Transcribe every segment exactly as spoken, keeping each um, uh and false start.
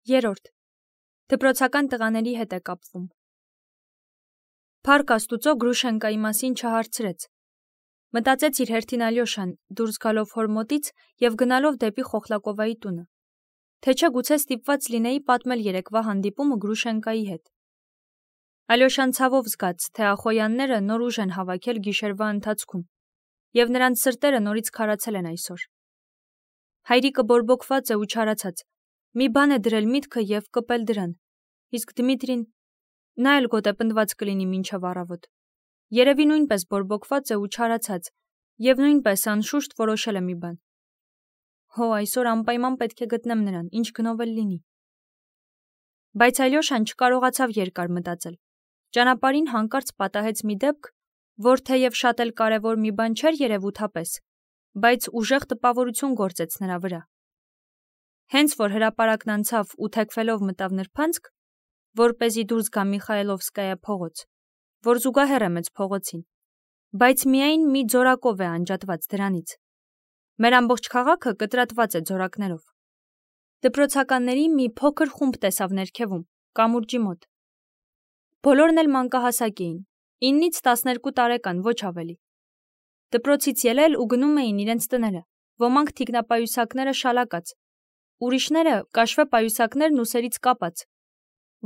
Երորդ. Դպրոցական տղաների հետ է կապվում։ Փառք Աստուծո Գրուշենկայի մասին չհարցրեց։ Մտածեց իր հերթին Ալյոշան, դուրս գալով հոր մոտից և գնալով դեպի Խոխլակովայի տունը։ Թե չէ գուցե ստիպված լինեի պատմել երեկվա հանդիպումը Գրուշենկայի հետ։ Ալյոշան ցավով զգաց, թե Ախոյանները նոր ուժ են հավաքել գիշերվա ընթացքում, և նրանց սրտերը նորից քարացել են այսօր։ Հայրիկը բորբոքված է ու չարացած, մի բան է դրել միտքը և կպել դրան, իսկ Դմիտրին, նա էլ գոտե պնդված կլինի մինչև առավոտ։ Երևի նույնպես բորբոքված է ու չարացած, և նույնպես անշուշտ որոշել է մի բան։ Հո, այսօր անպայման պետք է գտնեմ նրան, ինչ գնով էլ լինի։ Բայց Ալյոշան չկարողացավ երկար մտածել։ Ճանապարհին հանկարծ պատահեց մի դեպք, որ թեև շատ էլ կարևոր մի բան չէր երևութապես, բայց ուժեղ տպավորություն գործեց նրա վրա։ Հենց որ հրապարակն անցավ ու թեքվելով մտավ նրբանցք, որպեսզի դուրս գա Միխայելովսկայա փողոց, որ զուգահեռ է մեծ փողոցին, բայց միայն մի ձորակով է անջատված դրանից։ Մեր ամբողջ քաղաքը կտրատված է ձորակներով։ Դպրոցականների մի փոքր խումբ տեսավ ներքևում, կամուրջի մոտ։ Բոլորն էլ մանկահասակ էին, իննից տասներկու տարեկան, ոչ ավելի։ Դպրոցից ելել ու գնում էին իրենց տները, ոմանք թիկնապայուսակները շալակած, ուրիշները կաշվե պայուսակներն ուսերից կապած,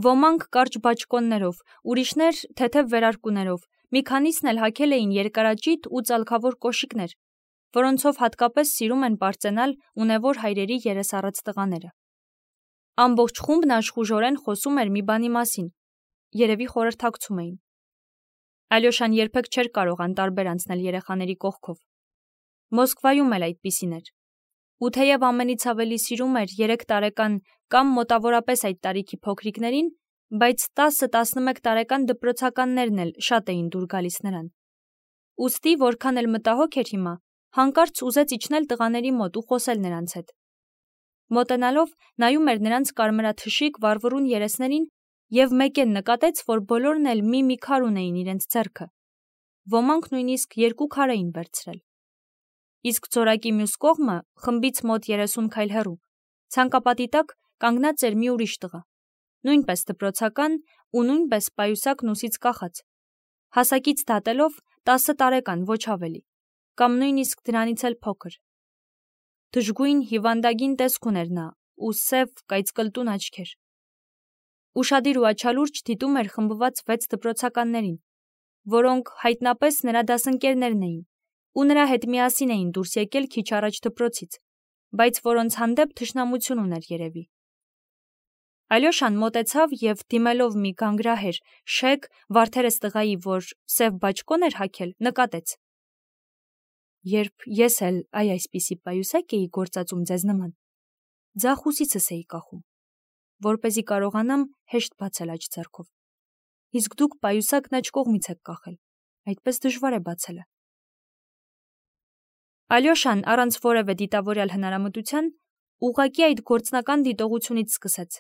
ոմանք կարճ բաճկոններով, ուրիշներ թեթև վերարկուներով, մի քանիսն էլ հագել էին երկարաճիտ ու ծալքավոր կոշիկներ, որոնցով հատկապես սիրում են պարծենալ ունևոր հայրերի երեսառած տղաները։ Ամբողջ խումբն աշխուժորեն խոսում էր մի բանի մասին, երևի խորհրդակցում էին։ Ալյոշան երբեք չէր կարող անտարբեր անցնել երեխաների կողքով։ Մոսկվայում էլ այդպիսին էր։ Ու թեև ամենից ավելի սիրում էր երեք տարեկան կամ մոտավորապես այդ տարիքի փոքրիկներին, բայց տասը-տասնմեկ տարեկան դպրոցականներն էլ շատ էին դուր գալիս նրան։ Ուստի, որքան էլ մտահոգ էր հիմա, հանկարծ ուզեց իջնել տղաների մոտ ու խոսել նրանց հետ։ Մոտենալով նայում էր նրանց կարմրաթշիկ վառվռուն երեսներին և մեկեն նկատեց, որ բոլորն էլ մի-մի քար ունեին իրենց ձեռքը, ոմանք նույնիսկ երկու քար էին վերցրել։ Իսկ ձորակի մյուս կողմը, խմբից մոտ երեսուն քայլ հեռու, ցանկապատի տակ կանգնած էր մի ուրիշ տղա, նույնպես դպրոցական ու նույնպես պայուսակն ուսից կախած, հասակից դատելով տասը տարեկան, ոչ ավելի, կամ նույնիսկ դրանից էլ փոքր։ Դժգույն հիվանդագին տեսք ուներ նա ու սև կայծկլտուն աչքեր։ Ուշադիր ու աչալուրջ դիտում էր խմբված վեց դպրոցականներին, որոնք հայտնապես նրա դասընկերներն էին ու նրա հետ միասին էին դուրս եկել քիչ առաջ դպրոցից, բայց որոնց հանդեպ թշնամություն ուներ երևի։ Ալյոշան մոտեցավ և դիմելով մի գանգրահեր, շեկ, վարդերես տղայի, որ սև բաճկոն էր հագել, նկատեց. Երբ ես էլ այ այսպիսի պայուսակ էի գործածում ձեզ նման, ձախ ուսիցս էի կախում, որպեսզի կարողանամ հեշտ բացել աջ ձեռքով, իսկ դուք պայուսակն աջ կողմից եք կախել, այդպես դժվար է բացելը։ Ալյոշան առանց որևէ դիտավորյալ հնարամտության ուղղակի այդ գործնական դիտողությունից սկսեց։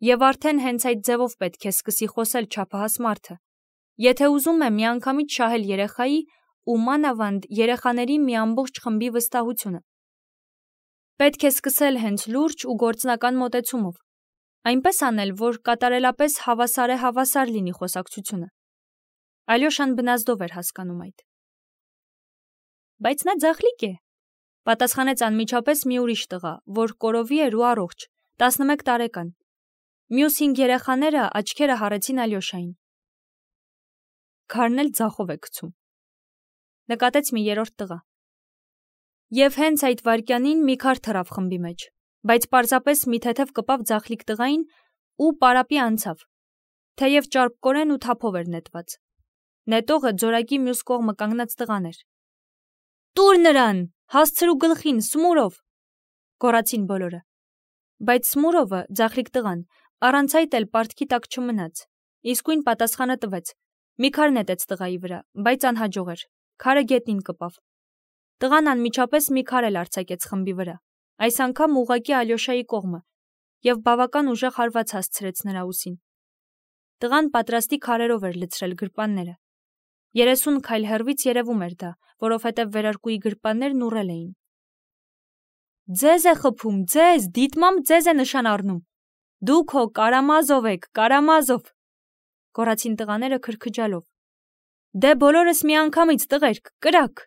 Եվ արդեն հենց այդ ձևով պետք է սկսի խոսել չափահաս մարդը, եթե ուզում է միանգամից շահել երեխայի ու մանավանդ երեխաների մի ամբողջ խմբի վստահությունը։ Պետք է սկսել հենց լուրջ ու գործնական մոտեցումով, այնպես անել, որ կատարելապես հավասար է հավասար լինի խոսակցությունը։ Ալյոշան բնազդով էր հասկանում այդ։ Բայց նա ձախլիկ է, պատասխանեց անմիջապես մի ուրիշ տղա, որ կորովի էր ու առողջ, տասնմեկ տարեկան։ Մյուս հինգ երեխաները աչքերը հառեցին Ալյոշային։ Քարն էլ ձախով է գցում, նկատեց մի երրորդ տղա։ Եվ հենց այդ վայրկյանին մի քար թռավ խմբի մեջ, բայց պարզապես մի թեթև կպավ ձախլիկ տղային ու պարապի անցավ, թեև ճարպկորեն ու թափով էր նետված։ Նետողը ձորակի մյուս կողմը կանգնած տղան էր։ Տուր նրան, հասցրու գլխին, Սմուրով, գոռացին բոլորը։ Բայց Սմուրովը, ձախլիկ տղան, առանց այդ էլ պարտքի տակ չմնաց, իսկույն պատասխանը տվեց, մի քար նետեց տղայի վրա, բայց անհաջող էր, քարը գետնին կպավ։ Տղան անմիջապես մի քար էլ արձակեց խմբի վրա, այս անգամ ուղղակի Ալյոշայի կողմը, և բավական ուժեղ հարված հասցրեց նրա ուսին։ Տղան պատրաստի քարերով էր լցրել գրպանները։ Երեսուն քայլ հեռվից երևում էր դա, որովհետև վերարկուի գրպաններն ուռել էին։ Ձեզ է խփում, ձեզ, դիտմամբ ձեզ է նշան առնում, Դուք հո Կարամազով եք, Կարամազով, գոռացին տղաները քրքջալով։ Դե բոլորս միանգամից տղերք, կրակ։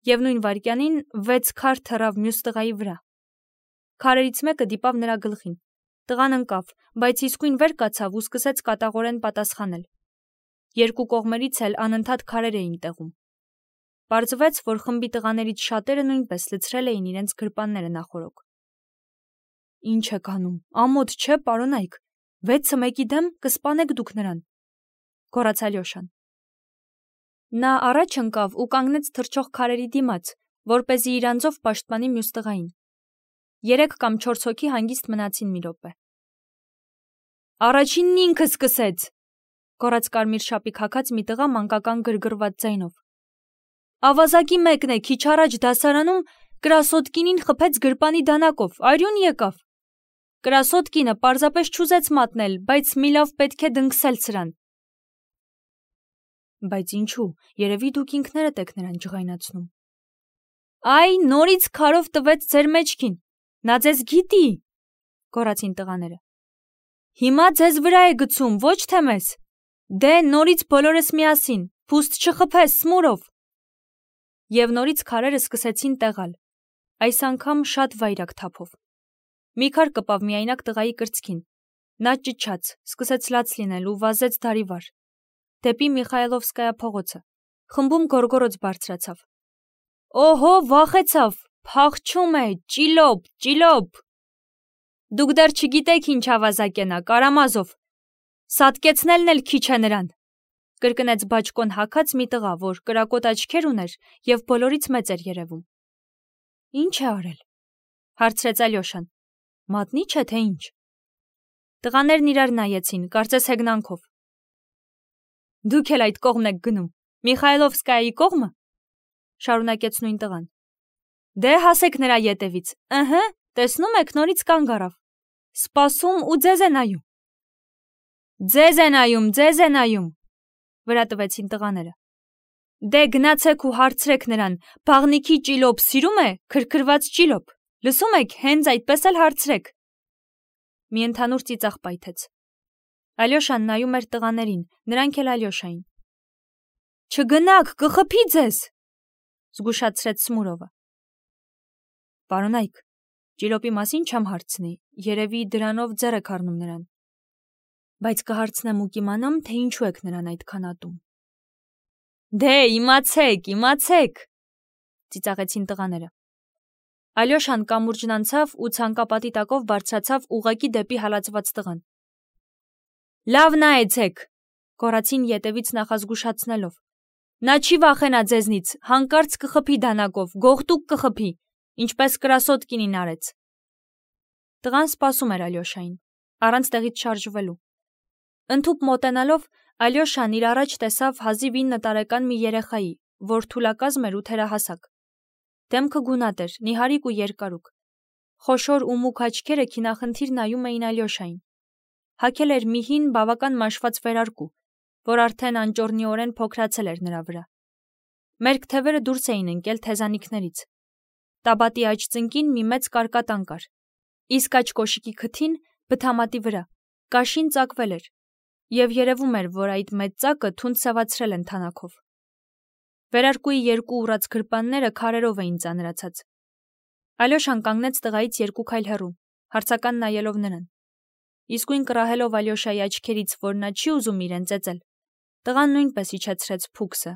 Եվ նույն վայրկյանին վեց քար թռավ մյուս տղայի վրա։ Քարերից մեկը դիպավ նրա գլխին։ Տղան ընկավ, բայց իսկույն վեր կացավ ու սկսեց կատաղորեն պատասխանել։ Երկու կողմերից էլ անընդհատ քարեր էին տեղում։ Պարզվեց, որ խմբի տղաներից շատերը նույնպես լցրել էին իրենց գրպանները նախօրոք։ Ինչ եք անում, ամոթ չէ, պարոնայք, վեցը մեկի դեմ կսպանեք դուք նրան, գոռաց Ալյոշան։ Նա առաջ ընկավ ու կանգնեց թռչող քարերի դիմաց, որպեսզի իր անձով պաշտպանի մյուս տղային։ Երեք կամ չորս հոգի հանգիստ մնացին մի րոպե։ Առաջինն ինքը սկսեց, գոռաց կարմիր շապիկ հագած մի տղա մանկական գրգռված ձայնով։ Ավազակի մեկն է քիչ առաջ դասարանում Կրասոտկինին խփեց գրպանի դանակով, արյուն եկավ։ Կրասոտկինը պարզապես չուզեց մատնել, բայց մի լավ պետք է դնքսել սրան։ Բայց ինչու, երևի դուք ինքներդ եք նրան ջղայնացնում։ Այ, նորից քարով տվեց ձեր մեջքին, նա ձեզ գիտի, գոռացին տղաները։ Հիմա ձեզ վրա է գցում, ոչ թե մեզ։ Դե, նորից բոլորս միասին, փուստ չխփես, Սմուրով։ Եվ նորից քարերը սկսեցին տեղալ, այս անգամ շատ վայրագ թափով։ Մի քար կպավ միայնակ տղայի կրծքին։ Նա ճչաց, սկսեց լաց լինել ու վազեց դարիվար, դեպի Միխայլովսկայա փողոցը, խմբում գոռգոռոց բարձրացավ։ Օհո, վախեցավ, փախչում է, ճիլոպ, ճիլոպ։ Դուք դեռ չգիտեք ինչ ավազակ է նա, Կարամազով։ Սատկեցնելն էլ քիչ է նրան, կրկնեց բաճկոն հագած մի տղա, որ կրակոտ աչքեր ուներ և բոլորից մեծ էր երևում։ Ինչ է արել, հարցրեց Ալյոշան։ Մատնի չէ, թե ինչ։ Տղաներն իրար նայեցին, կարծես հեգնանքով։ Դուք էլ այդ կողմն եք գնում, Միխայլովսկայի կողմը, շարունակեց նույն տղան։ Դե հասեք նրա ետևից, ըհը, տեսնում եք նորից կանգ առավ, սպասում ու ձեզ է նայում։ Ձեզ է նայում, ձեզ է նայում, վրա տվեցին տղաները։ Դե գնացեք ու հարցրեք նրան, բաղնիքի ճիլոպ սիրում է, քրքրված ճիլոպ, լսում եք, հենց այդպես էլ հարցրեք։ Մի ընդհանուր ծիծաղ պայթեց։ Ալյոշան նայում էր տղաներին, նրանք էլ Ալյոշային։ Չգնաք, կխփի ձեզ, զգուշացրեց Սմուրովը։ Պարոնայք, ճիլոպի մասին չեմ հարցնի, երևի դրանով ձեռ եք առնում նրան։ Բայց կհարցնեմ ու կիմանամ, թե ինչու եք նրան այդքան ատում։ Դե, իմացեք, իմացեք, ծիծաղեցին տղաները։ Ալյոշան կամուրջն անցավ ու ցանկապատի տակով բարձրացավ ուղղակի դեպի հալածված տղան։ Լավ նայեցեք, գոռացին ետևից նախազգուշացնելով։ Նա չի վախենա ձեզնից, հանկարծ կխփի դանակով, գողտուկ կխփի, ինչպես Կրասոտկինին արեց։ Տղան սպասում էր Ալյոշային, առանց տեղից շարժվելու։ Ընդհուպ մոտենալով, Ալյոշան իր առաջ տեսավ հազիվ ինը տարեկան մի երեխայի, որ թուլակազմ էր ու թերահասակ։ Դեմքը գունատ էր, նիհարիկ ու երկարուկ։ Խոշոր ու մուգ աչքերը քինախնդիր նայում էին Ալյոշային։ Հագել էր մի հին բավական մաշված վերարկու, որ արդեն անճոռնիորեն փոքրացել էր նրա վրա։ Մերկ թևերը դուրս էին ընկել թեզանիքներից։ Տաբատի աջ ծնկին մի մեծ կարկատան կար, իսկ աջ կոշիկի քթին, բթամատի վրա, կաշին ծակվել էր, և երևում էր, որ այդ մեծ ծակը թունդ սևացրել են թանաքով։ Վերարկուի երկու ուռած գրպանները քարերով էին ծանրացած։ Ալյոշան կանգնեց տղայից երկու քայլ հեռու, հարցական նայելով նրան։ Իսկույն կռահելով Ալյոշայի աչքերից, որ նա չի ուզում իրեն ծեծել, տղան նույնպես իջեցրեց փուքսը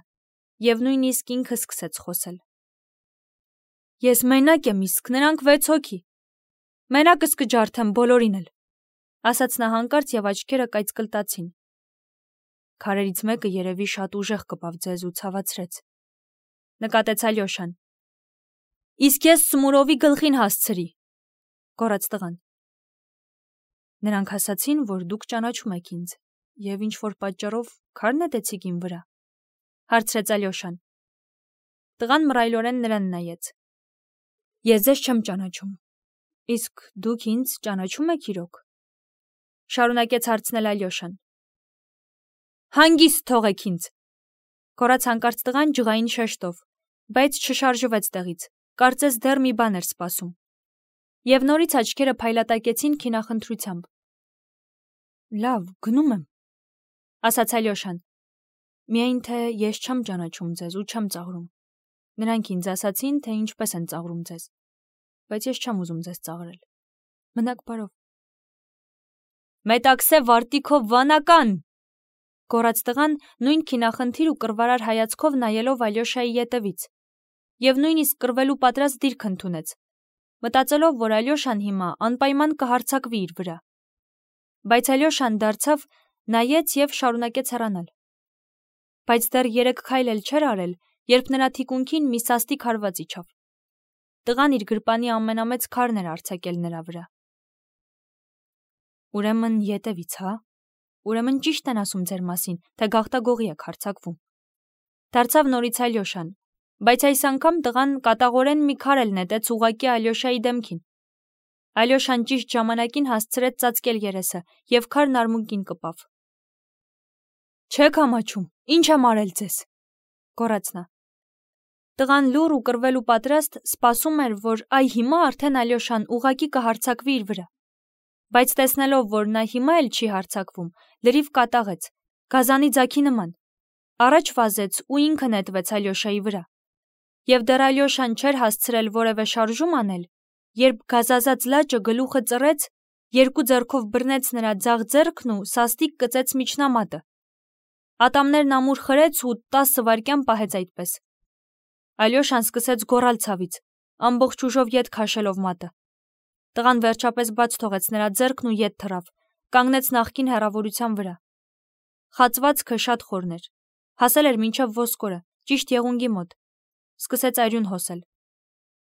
և նույնիսկ ինքը սկսեց խոսել։ Ես մենակ եմ, իսկ նրանք վեց հոգի։ Մենակս կջարդեմ բոլորին էլ, ասաց նա հանկարծ և աչքերը կայծկլտացին։ Քարերից մեկը երևի շատ ուժեղ կպավ ձեզ ու ցավացրեց, նկատեց Ալյոշան։ Իսկ ես Սմուրովի գլխին հասցրի, գոռաց տղան։ Նրանք ասացին, որ դուք ճանաչում եք ինձ և ինչ-որ պատճառով քար նետեցիք իմ վրա, հարցրեց Ալյոշան։ Տղան մռայլորեն նրան նայեց։ Ես ձեզ չեմ ճանաչում, իսկ դուք ինձ ճանաչում եք իրոք, շարունակեց հարցնել Ալյոշան։ Հանգիստ թողեք ինձ, գոռաց հանկարծ տղան ջղային շեշտով, բայց չշարժվեց տեղից, կարծես դեռ մի բան էր սպասում։ Եվ նորից աչքերը փայլատակեցին քինախնդրությամբ։ Լավ, գնում եմ, ասաց Ալյոշան։ Միայն թե ես չեմ ճանաչում ձեզ ու չեմ ծաղրում։ Նրանք ինձ ասացին, թե ինչպես են ծաղրում ձեզ, բայց ես չեմ ուզում ձեզ ծաղրել։ Մնաք բարով։ Մետաքսե վարտիքով վանական, գոռաց տղան նույն քինախնդիր ու կռվարար հայացքով նայելով Ալյոշայի ետևից, եւ նույնիսկ կռվելու պատրաստ դիրք ընդունեց, մտածելով, որ Ալյոշան հիմա անպայման կհարձակվի իր վրա։ Բայց Ալյոշան դարձավ, նայեց եւ շարունակեց հեռանալ։ Բայց դեռ երեք քայլ էլ չէր արել, երբ նրա թիկունքին մի սաստիկ հարված իջավ։ Տղան իր գրպանի ամենամեծ քարն էր արձակել նրա վրա։ Ուրեմն ետևից, հա։ Ուրեմն ճիշտ են ասում ձեր մասին, թե գաղտագողի եք հարձակվում։ Դարձավ նորից Ալյոշան, բայց այս անգամ տղան կատաղորեն մի քար էլ նետեց ուղղակի Ալյոշայի դեմքին։ Ալյոշան ճիշտ ժամանակին հասցրեց ծածկել երեսը եւ քարն արմունկին կպավ։ Չեք ամաչում, ինչ եմ արել ձեզ, գոռաց նա։ Տղան լուռ ու կռվելու պատրաստ սպասում էր, որ այ հիմա արդեն Ալյոշան ուղղակի կհարձակվի իր վրա։ Բայց տեսնելով, որ նա հիմա էլ չի հարձակվում, լրիվ կատաղեց, գազանի ձագի նման, առաջ վազեց ու ինքը նետվեց Ալյոշայի վրա։ Եվ դեռ Ալյոշան չէր հասցրել որևէ շարժում անել, երբ գազազած լաճը գլուխը ծռեց, երկու ձեռքով բռնեց նրա ձախ ձեռքն ու սաստիկ կծեց միջնամատը։ Ատամներն ամուր խրեց ու տասը վայրկյան պահեց այդպես։ Ալյոշան սկսեց գոռալ ցավից, ամբողջ ուժով ետ քաշելով մատը։ Տղան վերջապես բաց թողեց նրա ձեռքն ու ետ թռավ, կանգնեց նախկին հեռավորության վրա։ Խացվածքը շատ խորն էր, հասել էր մինչև ոսկորը, ճիշտ եղունգի մոտ։ Սկսեց արյուն հոսել։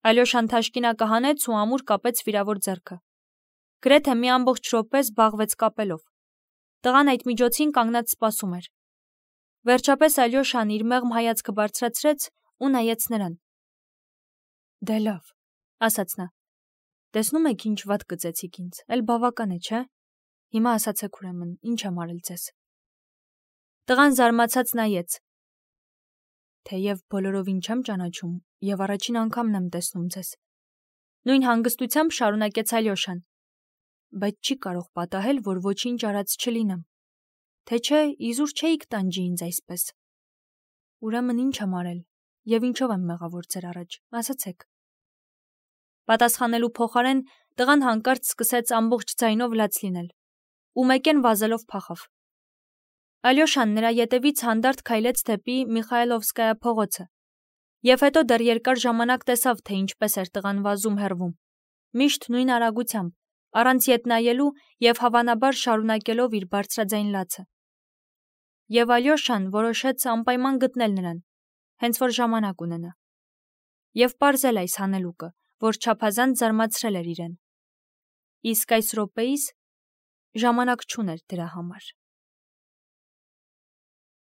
Ալյոշան թաշկինակը հանեց ու ամուր կապեց վիրավոր ձեռքը։ Գրեթե մի ամբողջ րոպե զբաղվեց կապելով։ Տղան այդ միջոցին կանգնած սպասում էր։ Վերջապես Ալյոշան իր մեղմ հայացքը բարձրացրեց ու նայեց նրան։ Դե լավ, ասաց նա։ Տեսնում եք ինչ վատ կծեցիք ինձ, էլ բավական է, չէ՞։ Հիմա ասացեք ուրեմն, ինչ եմ արել ձեզ։ Տղան զարմացած նայեց։ Թեև բոլորովին չեմ ճանաչում եւ առաջին անգամն եմ տեսնում ձեզ։ Նույն հանգստությամբ շարունակեց Ալյոշան։ Բայց չի կարող պատահել, որ ոչինչ արած չլինեմ։ Թե չէ, իզուր չէիք տանջի ինձ այսպես։ Ուրեմն ինչ եմ արել եւ ինչով եմ մեղավոր ձեր առաջ, ասացեք։ Պատասխանելու փոխարեն տղան հանկարծ սկսեց ամբողջ ձայնով լաց լինել ու մեկեն վազելով փախավ։ Ալյոշան նրա ետևից հանդարտ քայլեց դեպի Միխայլովսկայա փողոցը եւ հետո դեռ երկար ժամանակ տեսավ, թե ինչպես էր տղան վազում հեռվում, միշտ նույն արագությամբ, առանց ետ նայելու եւ հավանաբար շարունակելով իր բարձրաձայն լացը։ Եվ Ալյոշան որոշեց անպայման գտնել նրան, հենց որ ժամանակ ունենա, եւ պարզել այս հանելուկը, որ չափազանց զարմացրել էր իրեն։ Իսկ այս րոպեիս ժամանակ չուներ դրա համար։